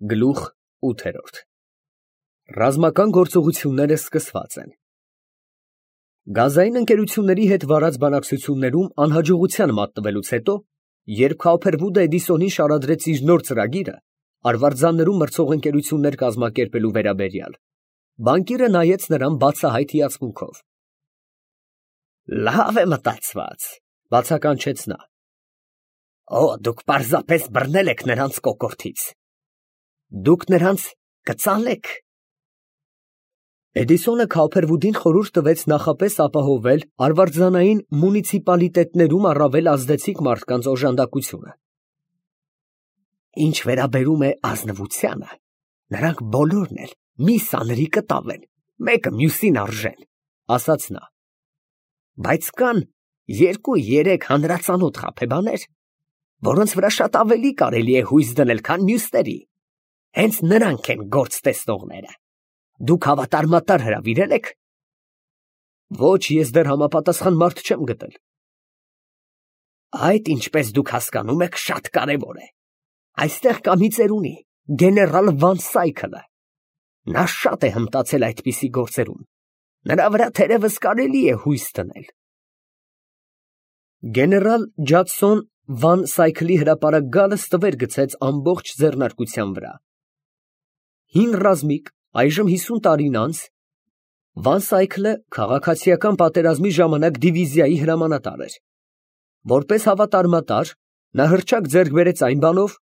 Գլուխ 8 Ռազմական գործողությունները սկսված են։ Գազային ընկերությունների հետ վարած բանակցություններում անհաջողության մատնվելուց հետո, երբ Քոփերվուդը Էդիսոնին շարադրեց իր նոր ծրագիրը, արվարձաններում մրցող ընկերություններ կազմակերպելու վերաբերյալ, բանկիրը նայեց նրան բացահայտ հիացմունքով։ Լավ է մտածված, բացականչեց նա։ Դուք պարզապես բռնել եք նրանց կոկորդից։ Դուք նրանց կծալեք։ Էդիսոնը Քոփերվուդին խորհուրդ տվեց նախապես ապահովել արվարձանային մունիցիպալիտետներում առավել ազդեցիկ մարդկանց օժանդակությունը։ Ինչ վերաբերում է ազնվությանը, նրանք բոլորն էլ մի սանրի կտավ են, մեկը մյուսին արժեն, ասաց նա։ Բայց կան 2-3 հանրածանոթ խաբեբաներ, որոնց վրա շատ ավելի կարելի է հույս դնել, քան մյուսների։ Հենց նրանք են գործ տեսնողները։ Դուք հավատարմատար հրավիրել եք։ Ոչ, ես դեռ համապատասխան մարդ չեմ գտել։ Այդ, ինչպես դուք հասկանում եք, շատ կարևոր է։ Այստեղ կա մի ծերունի, գեներալ Վան Սայքլը։ Նա շատ է հմտացել այդպիսի գործերում։ Նրա վրա թերևս կարելի է հույս դնել։ Գեներալ Ջադսոն Վան Սայքլի հրապարակ գալը ստվեր գցեց ամբողջ ձեռնարկության վրա։ Հին ռազմիկ, այժմ 50 տարին անց, Վան Սայքլը քաղաքացիական պատերազմի ժամանակ դիվիզիայի հրամանատար էր։ Որպես հավատարմատար, նա հռչակ ձեռք բերեց այն բանով,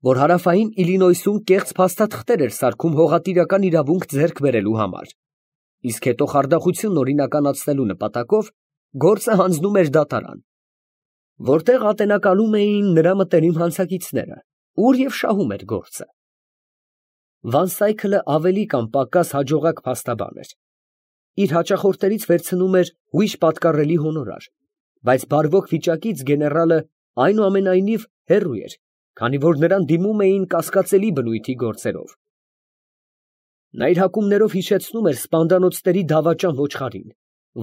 որ հարավային Իլինոյսում կեղծ փաստաթղթեր էր սարքում հողատիրական իրավունք ձեռք բերելու համար, իսկ հետո խարդախությունն օրինականացնելու նպատակով գործը հանձնում էր դատարան, որտեղ ատենակալում էին նրա մտերիմ հանցակիցները, ուր և շահում էր գործը։ Վան Սայքլը ավելի կամ պակաս հաջողակ փաստաբան էր։ Իր հաճախորդներից վերցնում էր ուրիշ պատկառելի հոնորար, բայց բարվոք վիճակից գեներալը այնուամենայնիվ հեռու էր, քանի որ նրան դիմում էին կասկածելի բնույթի գործերով։ Նա իր հակումներով հիշեցնում էր սպանդանոցների դավաճան ոչխարին,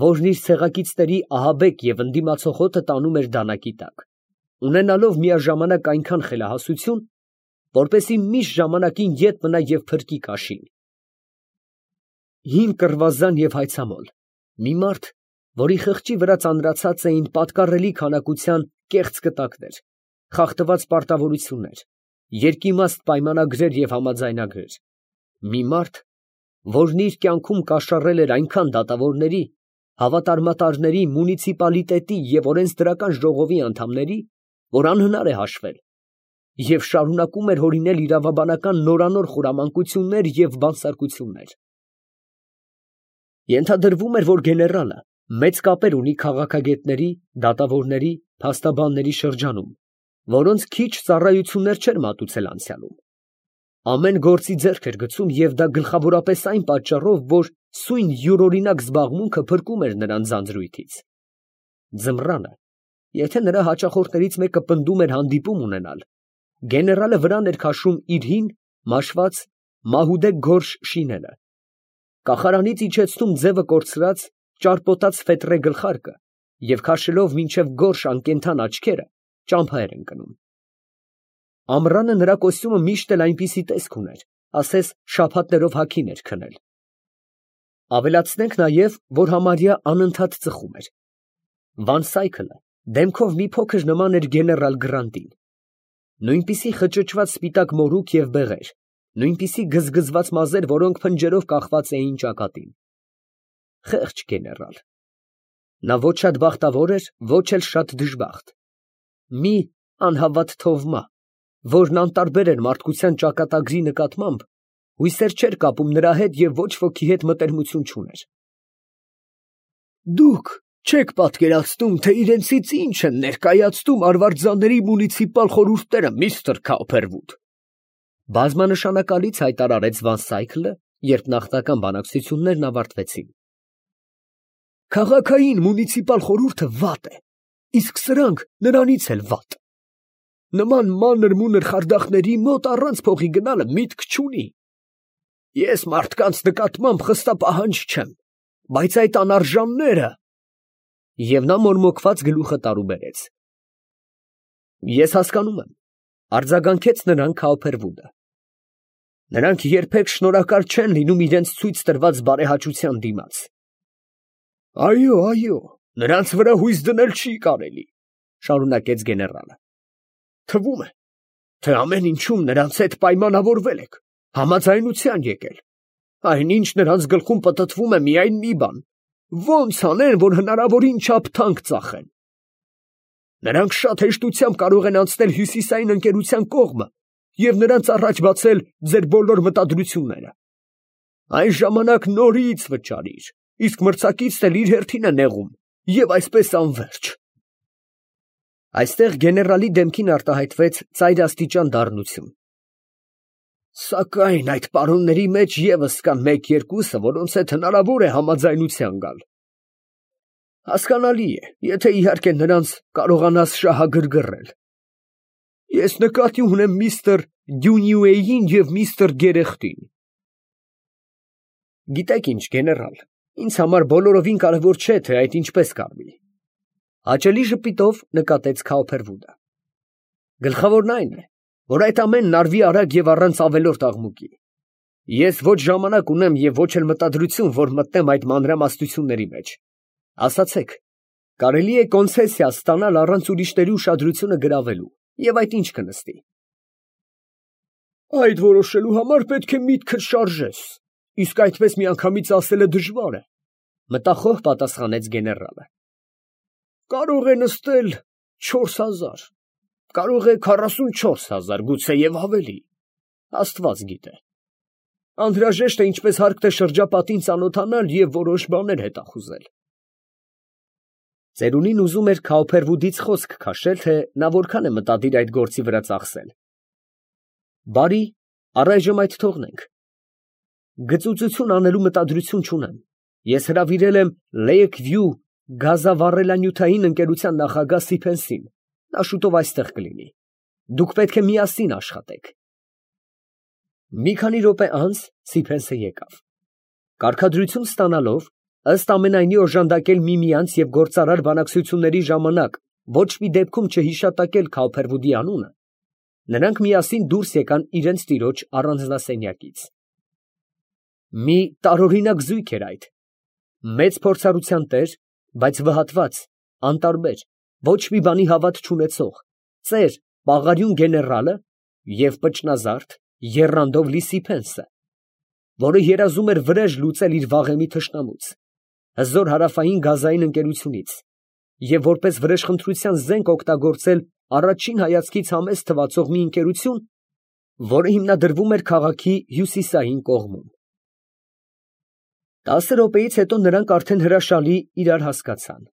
որն իր ցեղակիցների ահաբեկ և ընդդիմացող հոտը տանում էր դանակի տակ, ունենալով միաժամանակ այնքան խելահասություն, որպեսզի միշտ ժամանակին ետ մնա և փրկի կաշին։ Հին կռվազան և հայցամոլ, մի մարդ, որի խղճի վրա ծանրացած էին պատկառելի քանակության կեղծ կտակներ, խախտված պարտավորություններ, երկիմաստ պայմանագրեր և համաձայնագրեր, մի մարդ, որն իր կյանքում կաշառել էր այնքան դատավորների, հավատարմատարների, մունիցիպալիտետի և օրենսդրական ժողովի անդամների, որ անհնար է հաշվել, և շարունակում էր հորինել իրավաբանական նորանոր խորամանկություններ և բանսարկություններ։ Ենթադրվում էր, որ գեներալը մեծ կապեր ունի քաղաքագետների, դատավորների, փաստաբանների շրջանում, որոնց քիչ ծառայություններ չէր մատուցել անցյալում։ Ամեն գործի ձեռք էր գցում և դա գլխավորապես այն պատճառով, որ սույն յուրօրինակ զբաղմունքը փրկում էր նրան ձանձրույթից։ Ձմռանը, եթե նրա հաճախորդներից մեկը պնդում էր հանդիպում ունենալ, գեներալը վրան էր քաշում իր հին, մաշված, մահուդե գորշ շիները, կախարանից իջեցնում ձևը կորցրած, ճարպոտած ֆետրե գլխարկը և քաշելով մինչև գորշ անկենդան աչքերը, ճամփա էր ընկնում։ Ամռանը նրա կոստյումը միշտ էլ այնպիսի տեսք ուներ, ասես շաբաթներով հագին էր քնել։ Ավելացնենք նաև, որ համարյա անընդհատ ծխում էր։ Վան Սայքլը դեմքով մի փոքր նման էր գեներալ Գրանտին։ Նույնպիսի խճճված սպիտակ մորուք և բեղեր, նույնպիսի գզգզված մազեր, որոնք փնջերով կախված էին ճակատին։ Խեղճ գեներալ։ Նա ոչ շատ բախտավոր էր, ոչ էլ շատ դժբախտ։ Մի անհավատ թովմա, որն անտարբեր էր մարդկության ճակատագրի նկատմամբ, հույսեր չէր կապում նրա հետ և ոչ ոքի հետ մտերմություն չուներ։ Դուք չեք պատկերացնում, թե իրենցից ինչ են ներկայացնում արվարձանների մունիցիպալ խորհուրդները, միստր Քոփերվուդ, բազմանշանակալից հայտարարեց Վան Սայքլը, երբ նախնական բանակցություններն ավարտվեցին։ Քաղաքային մունիցիպալ խորհուրդը վատ է, իսկ սրանք նրանից էլ վատ։ Նման մանր-մունր խարդախների մոտ առանց փողի գնալը միտք չունի։ Ես մարդկանց նկատմամբ խստապահանջ չեմ, բայց այդ անարժանները… Եվ նա մորմոքված գլուխը տարուբերեց։ Ես հասկանում եմ, արձագանքեց նրան Քոփերվուդը։ Նրանք երբեք շնորհակալ չեն լինում իրենց ցույց տրված բարեհաճության դիմաց։ Այո, նրանց վրա հույս դնել չի կարելի, շարունակեց գեներալը։ Թվում է, թե ամեն ինչում նրանց հետ պայմանավորվել եք, համաձայնության եկել։ Այնինչ նրանց գլխում պտտվում է միայն մի բան. ոնց անեն, որ հնարավորին չափ թանկ ծախեն։ Նրանք շատ հեշտությամբ կարող են անցնել հյուսիսային ընկերության կողմը և նրանց առաջ բացել ձեր բոլոր մտադրությունները։ Այն ժամանակ նորից վճարիր, իսկ մրցակիցն էլ իր հերթին է նեղում, և այսպես անվերջ։ Այստեղ գեներալի դեմքին արտահայտվեց ծայրաստիճան դառնություն։ Սակայն այդ պարոնների մեջ ևս կան մեկ-երկուսը, որոնց հետ հնարավոր է համաձայնության գալ։ Հասկանալի է, եթե իհարկե նրանց կարողանաս շահագրգռել։ Ես նկատի ունեմ միստր Դյունյուեին և միստր Գերեխտին։ Գիտեք ինչ, գեներալ, ինձ համար բոլորովին կարևոր չէ, թե այդ ինչպես կարվի։ Հաճելի ժպիտով նկատեց Քաուփերվուդը։ Գլխավորն այն է, որ այդ ամենն արվի արագ և առանց ավելորդ աղմուկի։ Ես ոչ ժամանակ ունեմ և ոչ էլ մտադրություն, որ մտնեմ այդ մանրամասնությունների մեջ։ Ասացեք, կարելի է կոնցեսիա ստանալ առանց ուրիշների ուշադրությունը գրավելու, և այդ ինչ կնստի։ Այդ որոշելու համար պետք է միտքդ շարժես, իսկ այդպես միանգամից ասելը դժվար է, մտախոհ պատասխանեց գեներալը։ Կարող է նստել 4000, կարող է 44,000, գուցե և ավելի, Աստված գիտե։ Անհրաժեշտ է ինչպես հարկտ է շրջապատին ծանոթանալ և որոշ բաներ հետախուզել։ Ծերունին ուզում էր Քաուփերվուդից խոսք քաշել, թե նա որքան է մտադիր այդ գործի վրա ծախսել։ Բարի, առայժմ այդ թողնենք։ Գծուծություն անելու մտադրություն չունեմ։ Ես հրավիրել եմ Լեյքվյու գազավառելանյութային ընկերության նախագահ Սիփենսին, նա շուտով այստեղ կլինի։ Դուք պետք է միասին աշխատեք։ Մի քանի րոպե անց Սիփենսը եկավ։ Կարգադրություն ստանալով, ըստ ամենայնի օժանդակել միմյանց և գործարար բանակցությունների ժամանակ ոչ մի դեպքում չհիշատակել Քաուփերվուդի անունը, նրանք միասին դուրս եկան իրենց տիրոջ առանձնասենյակից։ Մի տարօրինակ զույգ էր այդ, մեծ փորձառության տեր, բայց վհատված, անտարբեր, ոչ մի բանի հավատ չունեցող, ծեր, պաղարյուն գեներալը և պճնազարդ, եռանդով լի Սիփենսը, որը երազում էր վրեժ լուծել իր վաղեմի թշնամուց, հզոր հարավային գազային ընկերությունից, և որպես վրեժխնդրության զենք օգտագործել առաջին հայացքից համեստ թվացող մի ընկերություն, որը հիմնադրվում էր քաղաքի հյուսիսային կողմում։ 10 րոպեից հետո նրանք արդեն հրաշալի իրար հասկացան։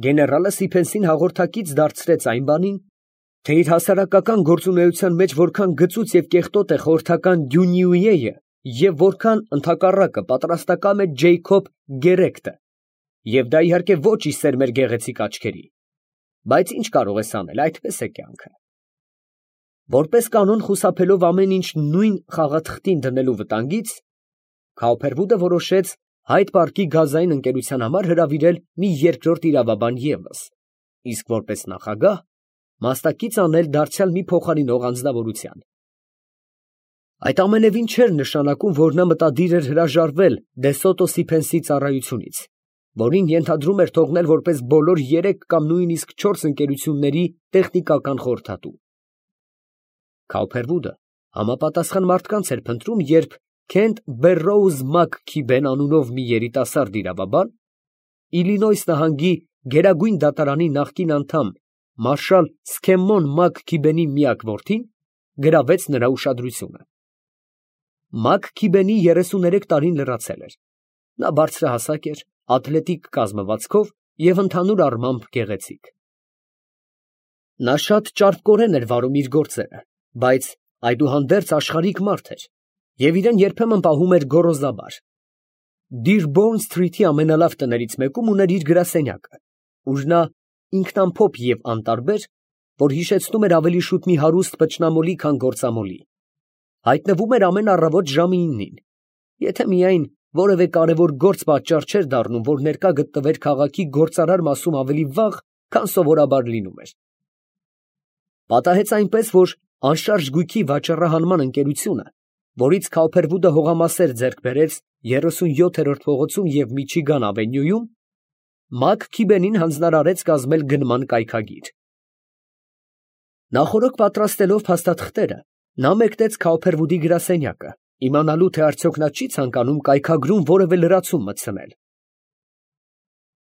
Գեներալը Սիփենսին հաղորդակից դարձրեց այն բանին, թե իր հասարակական գործունեության մեջ որքան գծուծ և կեղտոտ է խորհրդական Դյունյուեյը և որքան ընդհակառակը պատրաստակամ է Ջեյքոբ Գերեգտը, և դա իհարկե ոչ ի սեր մեր գեղեցիկ աչքերի, բայց ինչ կարող ես անել, այդպես է կյանքը։ Որպես կանոն խուսափելով ամեն ինչ նույն խաղաթղթին դնելու վտանգից, Քաուփերվուդը որոշեց Հայդ Պարկի գազային ընկերության համար հրավիրել մի երկրորդ իրավաբան ևս, իսկ որպես նախագահ մասնակից անել դարձյալ մի փոխարինող անձնավորության։ Այդ ամենևին չէր նշանակում, որ նա մտադիր էր հրաժարվել Դե Սոտո Սիփենսի ծառայությունից, որին ենթադրում էր թողնել որպես բոլոր 3 կամ նույնիսկ 4 ընկերությունների տեխնիկական խորհրդատու։ Քաուփերվուդը համապատասխան մարդկանց էր փնտրում, երբ Քենթ Բերրոուզ Մաքքիբեն անունով մի երիտասարդ իրավաբան, Իլինոյս նահանգի գերագույն դատարանի նախկին անդամ մարշալ Սքեմմոն Մաքքիբենի միակ որդին, գրավեց նրա ուշադրությունը։ Մաքքիբենի 33 տարին լրացել էր։ Նա բարձրահասակ էր, աթլետիկ կազմվածքով և ընդհանուր առմամբ գեղեցիկ։ Նա շատ ճարպկորեն էր վարում իր գործերը, բայց այդուհանդերձ աշխարհիկ մարդ էր և իրեն երբեմն պահում էր գոռոզաբար։ Դիրբոուրն Սթրիթի ամենալավ տներից մեկում ուներ իր գրասենյակը, ուր նա ինքնամփոփ և անտարբեր, որ հիշեցնում էր ավելի շուտ մի հարուստ փչնամոլի, քան գործամոլի, հայտնվում էր ամեն առավոտ ժամը 9-ին, եթե միայն որևէ կարևոր գործ պատճառ չէր դառնում, որ ներկա գտնվեր քաղաքի գործարար մասում ավելի վաղ, քան սովորաբար լինում էր։ Պատահեց այնպես, որ անշարժ գույքի վաճառահանման ընկերությունը որից Քաուփերվուդը հողամասեր ձեռք բերեց 37-րդ փողոցում և Միչիգան ավենյուում, Մակ Քիբենին հանձնարարեց կազմել գնման կայքագիր։ Նախօրոք պատրաստելով փաստաթղթերը, նա մեկնեց Քաուփերվուդի գրասենյակը, իմանալու թե արդյոք նա չի ցանկանում կայքագրում որևէ լրացում մտցնել։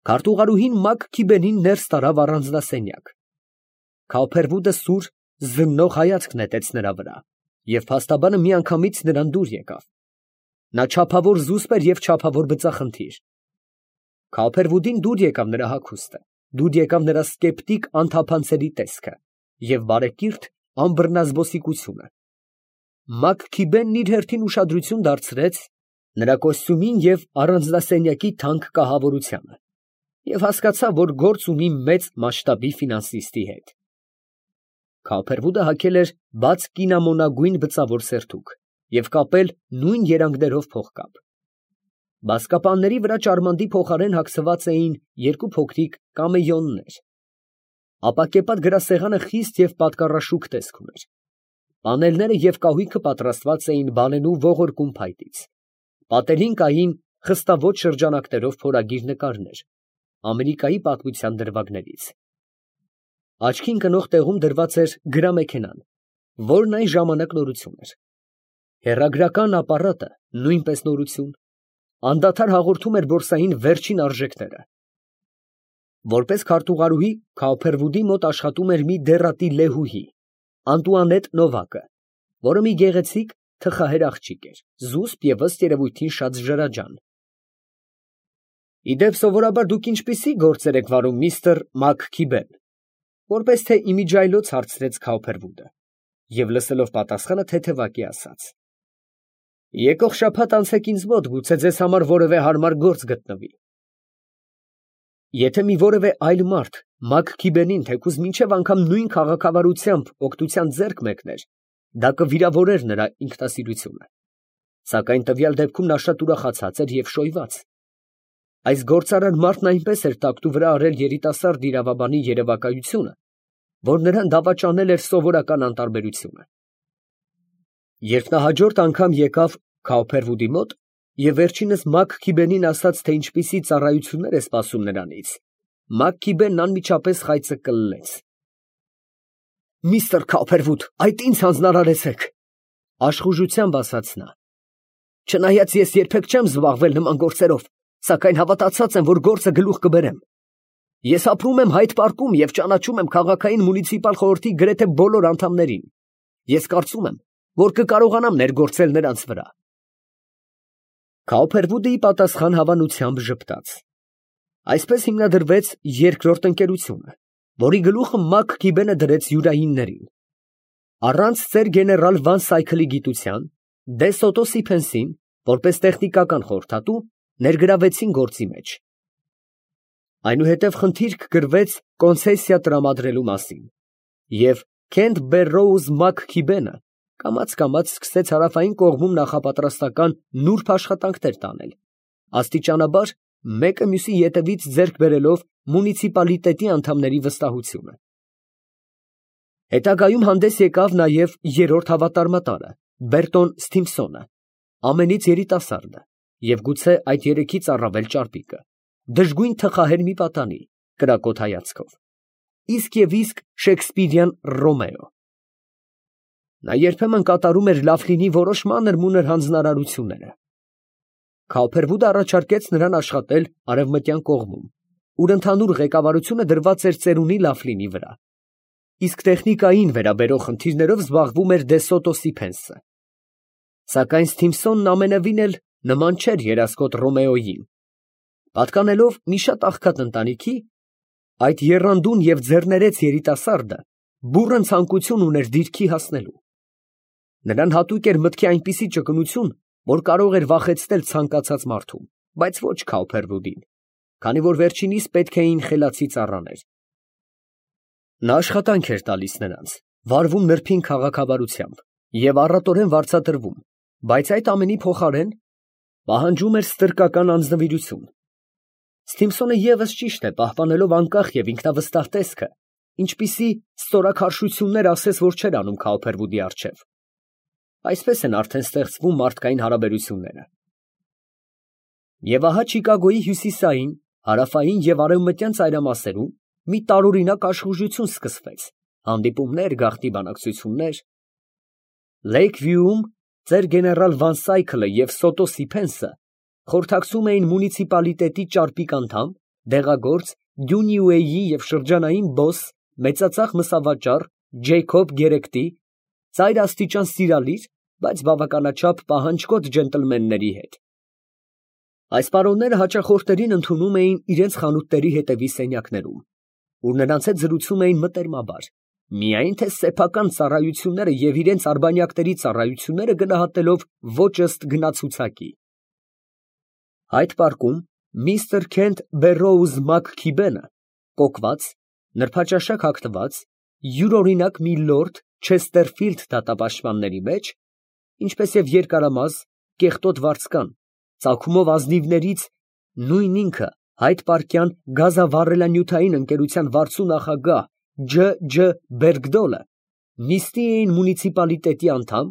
Քարտուղարուհին Մակ Քիբենին ներս տարավ առանձնասենյակ։ Քաուփերվուդը սուր, զննող հայացք նետեց նրա վրա, և փաստաբանը միանգամից նրան դուր եկավ։ Նա չափավոր զուսպ էր և չափավոր բծախնդիր։ Քաուփերվուդին դուր եկավ նրա հագուստը, դուր եկավ նրա սկեպտիկ անթափանցելի տեսքը և բարեկիրթ անբռնազբոսիկությունը։ Մակ Քիբենն իր հերթին ուշադրություն դարձրեց նրա կոստյումին և առանձնասենյակի թանկ կահավորությանը և հասկացավ, որ գործ ունի մեծ մասշտաբի ֆինանսիստի հետ։ Քաուփերվուդը հագել էր բաց կինամոնագույն բծավոր սերտուկ և կապել նույն երանգներով փողկապ։ Բազկապանների վրա ճարմանդի փոխարեն հագսված էին երկու փոքրիկ կամեյոններ։ Ապակեպատ գրասեղանը խիստ և պատկառաշուք տեսք ուներ։ Պանելները և կահույքը պատրաստված էին բանենու ողորկուն փայտից։ Պատերին կային խստաոճ շրջանակներով փորագիր նկարներ Ամերիկայի պատմության դրվագներից։ Աչքի ընկնող տեղում դրված էր գրամեքենան, որն այն ժամանակ նորություն էր։ Հեռագրական ապարատը նույնպես նորություն, անդադար հաղորդում էր բորսային վերջին արժեքները։ Որպես քարտուղարուհի Քաուփերվուդի մոտ աշխատում էր մի դեռատի լեհուհի, Անտուանետ Նովակը, որը մի գեղեցիկ թխահեր աղջիկ էր, զուսպ և ըստ երևույթին շատ ժրաջան։ Իդեպ, սովորաբար դուք ինչպիսի՞ գործեր եք վարում, միստր Մակ Քիբեն, որպես թե իմիջիայլոց հարցրեց Քաուփերվուդը, և լսելով պատասխանը թեթևակի ասաց. Եկող շաբաթ անցեք ինձ մոտ, գուցե ձեզ համար որևէ հարմար գործ գտնվի։ Եթե մի որևէ այլ մարդ Մակ Քիբենին թեկուզ մինչև անգամ նույն քաղաքավարությամբ օգնության ձեռք մեկներ, դա կվիրավորեր նրա ինքնասիրությունը, սակայն տվյալ դեպքում նա շատ ուրախացած էր և շոյված։ Այս գործարար մարդն այնպես էր տակտու վրա արել երիտասարդ իրավաբանի երևակայությունը, որ նրան դավաճանել էր սովորական անտարբերությունը։ Երբ նա հաջորդ անգամ եկավ Քաուփերվուդի մոտ և վերջինս Մակ Քիբենին ասաց, թե ինչպիսի ծառայություններ է սպասում նրանից, Մակ Քիբենն անմիջապես խայծը կլլեց։ Միստր Քաուփերվուդ, այդ ինձ հանձնարարեցեք, աշխուժությամբ ասաց նա։ Չնայած ես երբեք չեմ զբաղվել նման գործերով, սակայն հավատացած եմ, որ գործը գլուխ կբերեմ։ Ես ապրում եմ Հայդ պարկում և ճանաչում եմ քաղաքային մունիցիպալ խորհրդի գրեթե բոլոր անդամներին։ Ես կարծում եմ, որ կկարողանամ ներգործել նրանց վրա։ Քաուփերվուդը ի պատասխան հավանությամբ ժպտաց։ Այսպես հիմնադրվեց երկրորդ ընկերությունը, որի գլուխը Մակ Քիբենը դրեց յուրայիններին։ Առանց ծեր գեներալ Վան Սայքլի գիտության, դե Սոտո Սիփենսին, որպես տեխնիկական խորհրդատու, ներգրավեցին գործի մեջ։ Այնուհետև խնդիրք գրվեց կոնցեսիա տրամադրելու մասին, և Քենթ Բերրոուզ Մակ Քիբենը կամաց սկսեց հարավային կողմում նախապատրաստական նուրբ աշխատանքներ տանել, աստիճանաբար մեկը մյուսի ետևից ձեռք բերելով մունիցիպալիտետի անդամների վստահությունը։ Հետագայում հանդես եկավ նաև երրորդ հավատարմատարը Բերտոն Սթիմփսոնը, ամենից երիտասարդը և գուցե այդ երեքից առավել ճարպիկը, դժգույն թխահեր մի պատանի, կրակոտ հայացքով, իսկ շեքսպիրյան Ռոմեո։ Նա երբեմն կատարում էր Լաֆլինի որոշ մանր-մունր հանձնարարությունները։ Քաուփերվուդը առաջարկեց նրան աշխատել արևմտյան կողմում, ուր ընդհանուր ղեկավարությունը դրված էր ծերունի Լաֆլինի վրա, իսկ տեխնիկային վերաբերող խնդիրներով զբաղվում էր դե Սոտո Սիփենսը։ Սակայն Սթիմփսոնն ամենևին էլ նման չէր երասկոտ Ռոմեոյին։ Պատկանելով մի շատ աղքատ ընտանիքի, այդ եռանդուն և ձեռներեց երիտասարդը բուռն ցանկություն ուներ դիրքի հասնելու։ Նրան հատուկ էր մտքի այնպիսի ճկունություն, որ կարող էր վախեցնել ցանկացած մարդում, բայց ոչ Քաուփերվուդին, քանի որ վերջինիս պետք էին խելացի ծառաներ։ Նա աշխատանք էր տալիս նրանց, վարվում նրբին քաղաքավարությամբ և առատորեն վարձատրվում, բայց այդ ամենի փոխարեն պահանջում էր ստրկական անձնվիրություն։ Սթիմփսոնը ևս ճիշտ է, պահպանելով անկախ և ինքնավստահ տեսքը, ինչպիսի ստորաքարշություններ ասես, որ չէր անում Քաուփերվուդի առջև։ Այսպես են արդեն ստեղծվում մարդկային հարաբերությունները։ Եվ ահա Չիկագոյի հյուսիսային, հարավային և արևմտյան ծայրամասերում մի տարօրինակ աշխուժություն սկսվեց, հանդիպումներ, գաղտնի բանակցություններ։ Լեյքվյուում ծեր գեներալ Վան Սայքլը և Սոտո Սիփենսը խորհրդակցում էին մունիցիպալիտետի ճարպիկ անդամ, դեղագործ, Դյունիուեյի և շրջանային բոս, մեծածախ մսավաճառ Ջեյքոբ Գերեկտի, ծայրաստիճան սիրալիր, բայց բավականաչափ պահանջկոտ ջենտլմենների հետ։ Այս պարոնները հաճախորդներին ընդունում էին իրենց խանութների հետևի սենյակներում, ուր նրանց հետ զրուցում էին մտերմաբար, միայն թե սեփական ծառայությունները և իրենց արբանյակների ծառայությունները գնահատելով ոչ ըստ գնացուցակի։ Այդ պարկում միստր Քենթ Բերրոուզ Մաքքիբենը, կոկված, նրբաճաշակ հագնված, յուրօրինակ մի լորդ Չեստերֆիլդ դատապաշտպանների մեջ, ինչպես և երկարամազ, կեղտոտ վարձկան, ծագումով ազնիվներից, նույն ինքը հայտ֊պարկյան գազավառելանյութային ընկերության վարձու նախագահ Ջ. Բերգդոլը, նիստի էին մունիցիպալիտետի անդամ,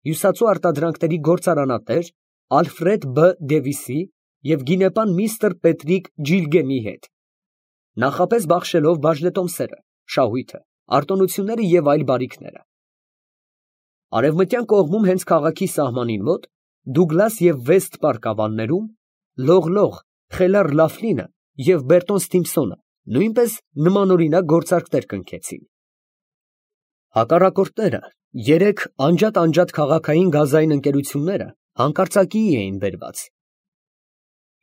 հյուսածու արտադրանքների գործարանատեր Ալֆրեդ Բ. Դևիսի և գինեպան միստր Պետրիկ Ջիլգենի հետ, նախապես բախշելով բաժնետոմսերը, շահույթը, արտոնությունները և այլ բարիքները։ Արևմտյան կողմում հենց քաղաքի սահմանին մոտ, Դուգլաս և Վեստ պարկ ավաններում, Լողլող, Խելառ Լաֆլինը և Բերտոն Սթիմփսոնը նույնպես նմանօրինակ գործարքներ կնքեցին։ Հակառակորդները, երեք անջատ քաղաքային գազային ընկերությունները հանկարծակիի էին բերված։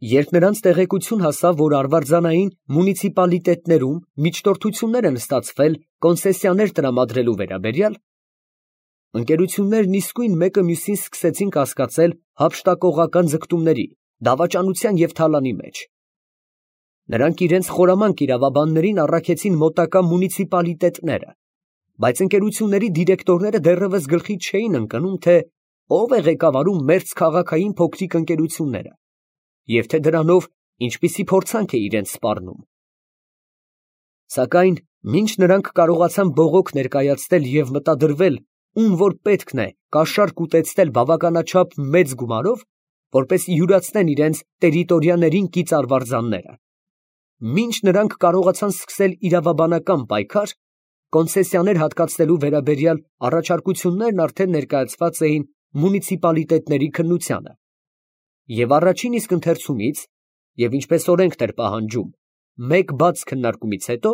Երբ նրանց տեղեկություն հասավ, որ արվարձանային մունիցիպալիտետներում միջնորդություններ են ստացվել կոնցեսիաներ տրամադրելու վերաբերյալ, ընկերություններն իսկույն մեկը մյուսին սկսեցին կասկածել հափշտակողական ձգտումների, դավաճանության և թալանի մեջ։ Նրանք իրենց խորամանկ իրավաբաններին առաքեցին մոտակա մունիցիպալիտետները, բայց ընկերությունների դիրեկտորները դեռևս գլխի չէին ընկնում, թե ով է ղեկավարում մերձ քաղաքային փոքրիկ ընկերությունները և թե դրանով ինչպիսի փորձանք է իրենց սպառնում։ Սակայն մինչ նրանք կարողացան բողոք ներկայացնել և մտադրվել, ում որ պետքն է կաշառք ուտեցնել բավականաչափ մեծ գումարով, որպեսզի յուրացնեն իրենց տերիտորիաներին կից արվարձանները, մինչ նրանք կարողացան սկսել իրավաբանական պայքար, կոնցեսիաներ հատկացնելու վերաբերյալ առաջարկություններն արդեն ներկայացված էին մունիցիպալիտետների քննությանը, և առաջին իսկ ընթերցումից, և ինչպես օրենքն էր պահանջում, մեկ բաց քննարկումից հետո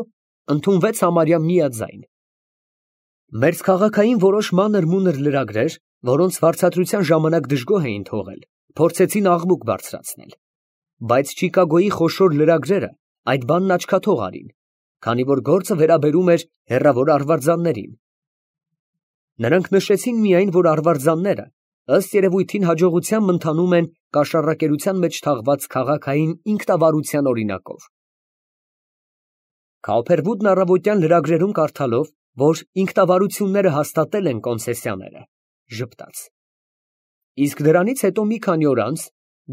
ընդունվեց համարյա միաձայն։ Մերձքաղաքային որոշ մանր-մունր լրագրեր, որոնց վարձատրության ժամանակ դժգոհ էին թողել, փորձեցին աղմուկ բարձրացնել, բայց Չիկագոյի խոշոր լրագրերը այդ բանն աչքաթող արին, քանի որ գործը վերաբերում էր հեռավոր արվարձաններին։ Նրանք նշեցին միայն, որ արվարձանները ըստ երևույթին հաջողությամբ ընթանում են կաշառակերության մեջ թաղված քաղաքային ինքնավարության օրինակով։ Քաուփերվուդն առավոտյան լրագրերում կարդալով, որ ինքնավարությունները հաստատել են կոնցեսիաները, ժպտաց։ Իսկ դրանից հետո մի քանի օր անց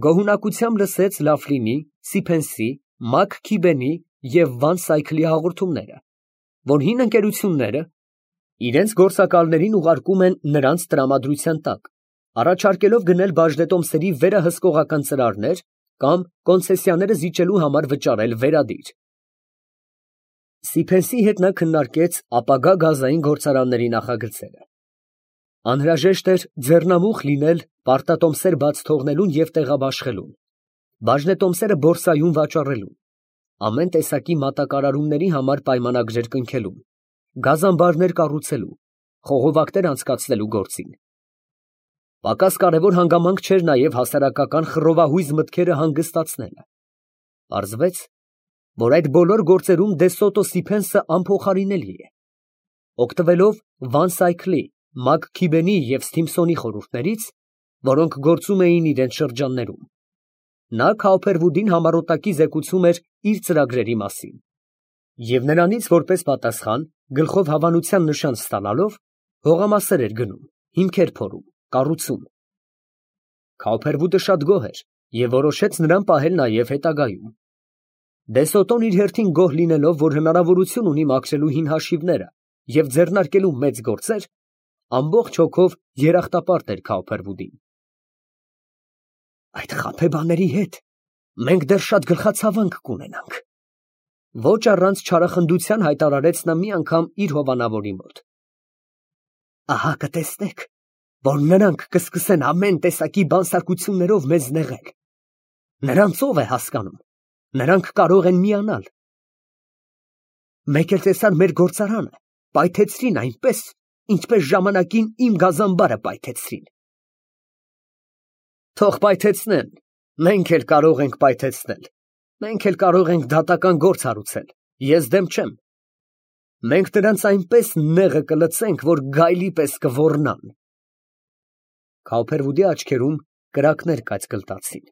գոհունակությամբ լսեց Լաֆլինի, Սիփենսի, Մաքքիբենի և Վան Սայքլի հաղորդումները, որ հին ընկերությունները իրենց գործակալներին ուղարկում են նրանց տրամադրության տակ, առաջարկելով գնել բաժնետոմսերի վերահսկողական ծրարներ կամ կոնցեսիաները զիջելու համար վճարել վերադիր։ Սիփենսի հետ նա քննարկեց ապագա գազային գործարանների նախագծերը։ Անհրաժեշտ էր ձեռնամուխ լինել պարտատոմսեր բաց թողնելուն և տեղաբաշխելուն, բաժնետոմսերը բորսայում վաճառելուն, ամեն տեսակի մատակարարումների համար պայմանագրեր կնքելուն, գազամբարներ կառուցելու, խողովակներ անցկացնելու գործին։ Պակաս կարևոր հանգամանք չէր նաև հասարակական խռովահույզ մտքերը հանգստացնելը։ Պարզվեց, որ այդ բոլոր գործերում դե Սոտո Սիփենսը անփոխարինելի է։ Օգտվելով Վան Սայքլի, Մաքքիբենի և Սթիմփսոնի խորհուրդներից, որոնք գործում էին իրենց շրջաններում, նա Քաուփերվուդին համառոտակի զեկուցում էր իր ծրագրերի մասին, և նրանից որպես պատասխան, գլխով հավանության նշան ստանալով, հողամասեր էր գնում, հիմքեր փորում, կառուցում։ Քաուփերվուդը շատ գոհ էր և որոշեց նրան պահել նաև հետագայում։ Դե Սոտոն իր հերթին գոհ լինելով, որ հնարավորություն ունի մաքրելու հին հաշիվները և ձեռնարկելու մեծ գործեր, Ամբողջ հոգով երախտապարտ էր Քավփերվուդին։ Այդ խաբեբաների հետ մենք դեռ շատ գլխացավանք կունենանք։ Ոչ առանց չարախնդության հայտարարեց նա մի անգամ իր հովանավորի մոտ։ Ահա կտեսնեք, որ նրանք կսկսեն ամեն տեսակի բանսարկություններով մեզ նեղել։ Նրանց ով է հասկանում, նրանք կարող են միանալ։ Մեկ էլ տեսան մեր գործարանը, պայթեցրին այնպես, ինչպես ժամանակին իմ գազանբարը պայթեցրին։ Թող պայթեցնեն, մենք էլ կարող ենք պայթեցնել, մենք էլ կարող ենք դատական գործ հարուցել, ես դեմ չեմ։ Մենք նրանց այնպես նեղը կլցենք, որ գայլի պես կոռնան։ Քավփերվուդի աչքերում կրակներ կայծկլտացին։